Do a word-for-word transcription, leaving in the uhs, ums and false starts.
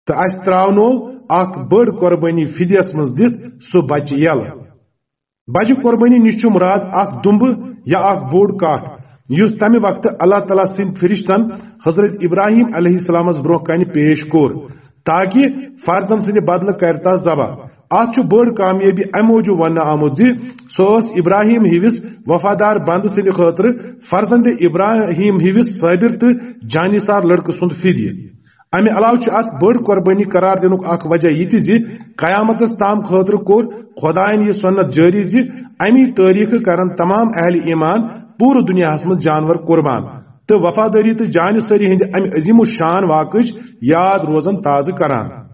تہٕ اسہِ ترٛاونوو اکھ بٔڑ قۄربٲنی فدیس منٛز دِتھ سُہ بچہِ یلہٕ۔ بچہِ قۄربٲنی نِش چھُ مراد اکھ دُمبہٕ یا اکھ بوٚڑ کٹھ، یُس تمہِ وقتہٕ اللہ تعالیٰ سٕنٛدۍ فرشتن حضرت ابراہیم علیہ السلامس برونٛہہ کنہِ پیش کوٚر، تاکہ فرزند سٕنٛدِ بدلہٕ کرِ تس ذبح۔ اتھ چھُ بٔڑ کامیٲبی امہِ موٗجوٗب وننہٕ آمُت زِ سُہ اوس ابراہیم ہِوِس وفادار بندٕ سٕنٛدِ خٲطرٕ فرزند ابراہیم ہِوِس صٲبر تہٕ جانثار لڑکہٕ سُنٛد فدیہ۔ امہِ علاوٕ چھِ اتھ بٔڑ قۄربٲنی قرار دِنُک اکھ وجہ یہِ تہِ زِ قیامتس تام خٲطرٕ کوٚر خۄداین یہِ سنت جٲری زِ امی تٲریخہٕ کرن تمام اہل ایمان پوٗرٕ دُنیاہس منٛز جانور قربان تہٕ وفادٲری تہٕ جانثٲری ہٕنٛدِ امہِ عظیم الشان واقعٕچ یاد روزن تازٕ کران۔